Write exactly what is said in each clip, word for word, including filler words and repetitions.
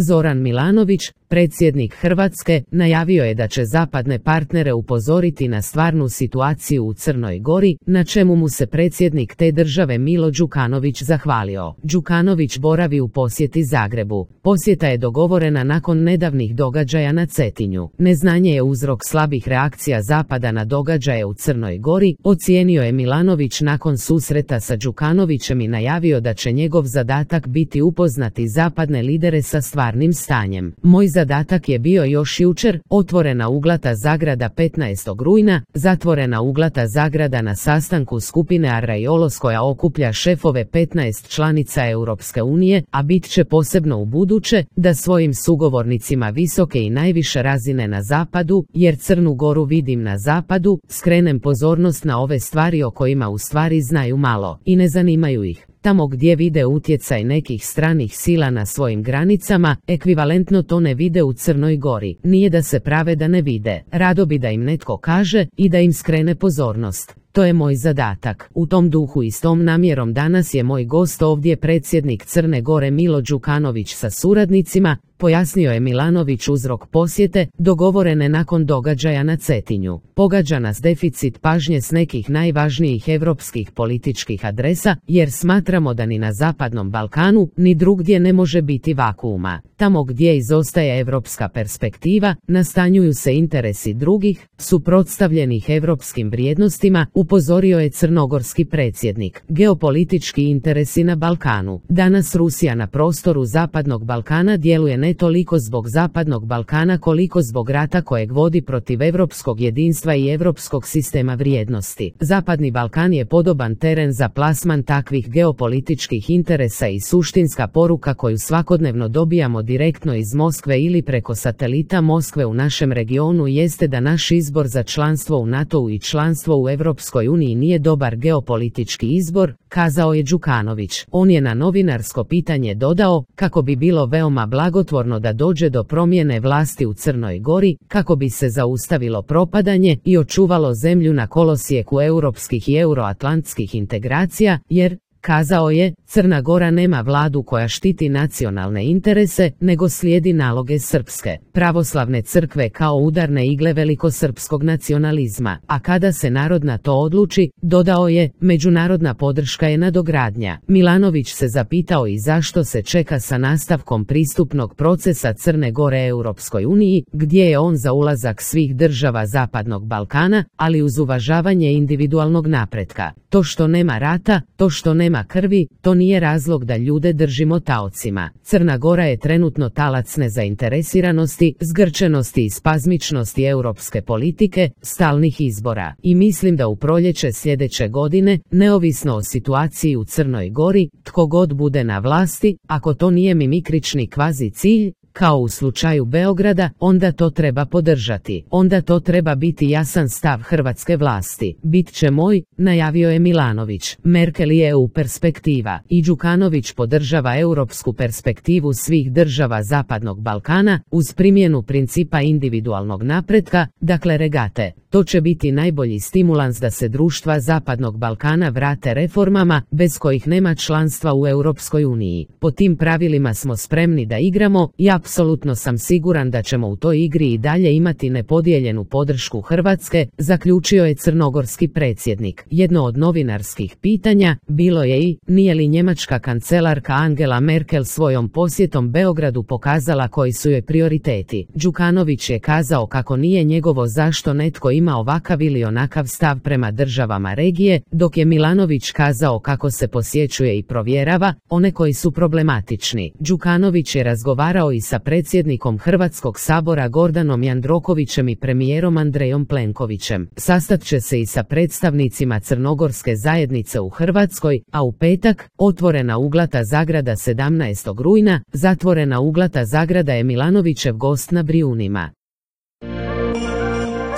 Zoran Milanović, predsjednik Hrvatske, najavio je da će zapadne partnere upozoriti na stvarnu situaciju u Crnoj Gori, na čemu mu se predsjednik te države Milo Đukanović zahvalio. Đukanović boravi u posjeti Zagrebu. Posjeta je dogovorena nakon nedavnih događaja na Cetinju. Neznanje je uzrok slabih reakcija Zapada na događaje u Crnoj Gori, ocijenio je Milanović nakon susreta sa Đukanovićem i najavio da će njegov zadatak biti upoznati zapadne lidere sa stvarnim stanjem. Moj zadatak je bio još jučer, otvorena uglata zagrada petnaestog rujna, zatvorena uglata zagrada na sastanku skupine Arraiolos koja okuplja šefove petnaest članica Europske unije, a bit će posebno u buduće, da svojim sugovornicima visoke i najviše razine na zapadu, jer Crnu Goru vidim na zapadu, skrenem pozornost na ove stvari o kojima u stvari znaju malo i ne zanimaju ih. Tamo gdje vide utjecaj nekih stranih sila na svojim granicama, ekvivalentno to ne vide u Crnoj Gori. Nije da se prave da ne vide, rado bi da im netko kaže i da im skrene pozornost. To je moj zadatak. U tom duhu i s tom namjerom danas je moj gost ovdje predsjednik Crne Gore Milo Đukanović sa suradnicima, pojasnio je Milanović uzrok posjete, dogovorene nakon događaja na Cetinju. Pogađa nas deficit pažnje s nekih najvažnijih europskih političkih adresa, jer smatramo da ni na Zapadnom Balkanu, ni drugdje ne može biti vakuuma. Tamo gdje izostaje europska perspektiva, nastanjuju se interesi drugih, suprotstavljenih europskim vrijednostima, upozorio je crnogorski predsjednik. Geopolitički interesi na Balkanu. Danas Rusija na prostoru Zapadnog Balkana djeluje ne toliko zbog Zapadnog Balkana koliko zbog rata kojeg vodi protiv europskog jedinstva i europskog sistema vrijednosti. Zapadni Balkan je podoban teren za plasman takvih geopolitičkih interesa i suštinska poruka koju svakodnevno dobijamo direktno iz Moskve ili preko satelita Moskve u našem regionu jeste da naš izbor za članstvo u NATO-u i članstvo u Europskoj uniji nije dobar geopolitički izbor, kazao je Đukanović. On je na novinarsko pitanje dodao kako bi bilo veoma blagotvorno da dođe do promjene vlasti u Crnoj Gori, kako bi se zaustavilo propadanje i očuvalo zemlju na kolosijeku europskih i euroatlantskih integracija, jer, kazao je, Crna Gora nema vladu koja štiti nacionalne interese, nego slijedi naloge srpske pravoslavne crkve kao udarne igle velikosrpskog nacionalizma. A kada se narod na to odluči, dodao je, međunarodna podrška je nadogradnja. Milanović se zapitao i zašto se čeka sa nastavkom pristupnog procesa Crne Gore Europskoj uniji, gdje je on za ulazak svih država Zapadnog Balkana, ali uz uvažavanje individualnog napretka. To što nema rata, to što nema krvi, to nije razlog da ljude držimo taocima. Crna Gora je trenutno talac nezainteresiranosti, zgrčenosti i spazmičnosti europske politike, stalnih izbora. I mislim da u proljeće sljedeće godine, neovisno o situaciji u Crnoj Gori, tko god bude na vlasti, ako to nije mimikrični kvazi cilj, kao u slučaju Beograda, onda to treba podržati. Onda to treba biti jasan stav hrvatske vlasti. Bit će moj, najavio je Milanović. Merkel je E U perspektiva. I Đukanović podržava europsku perspektivu svih država Zapadnog Balkana, uz primjenu principa individualnog napretka, dakle regate. To će biti najbolji stimulans da se društva Zapadnog Balkana vrate reformama, bez kojih nema članstva u Europskoj uniji. Po tim pravilima smo spremni da igramo i apsolutno sam siguran da ćemo u toj igri i dalje imati nepodijeljenu podršku Hrvatske, zaključio je crnogorski predsjednik. Jedno od novinarskih pitanja bilo je i, nije li njemačka kancelarka Angela Merkel svojom posjetom Beogradu pokazala koji su joj prioriteti. Đukanović je kazao kako nije njegovo zašto netko ima ovakav ili onakav stav prema državama regije, dok je Milanović kazao kako se posjećuje i provjerava one koji su problematični. Đukanović je razgovarao i sa predsjednikom Hrvatskog sabora Gordanom Jandrokovićem i premijerom Andrejom Plenkovićem. Sastat će se i sa predstavnicima crnogorske zajednice u Hrvatskoj, a u petak, otvorena uglata zagrada sedamnaestog rujna, zatvorena uglata zagrada je Milanovićev gost na Brijunima.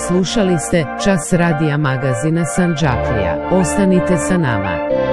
Slušali ste Čas radija magazina Sandžaklija. Ostanite sa nama.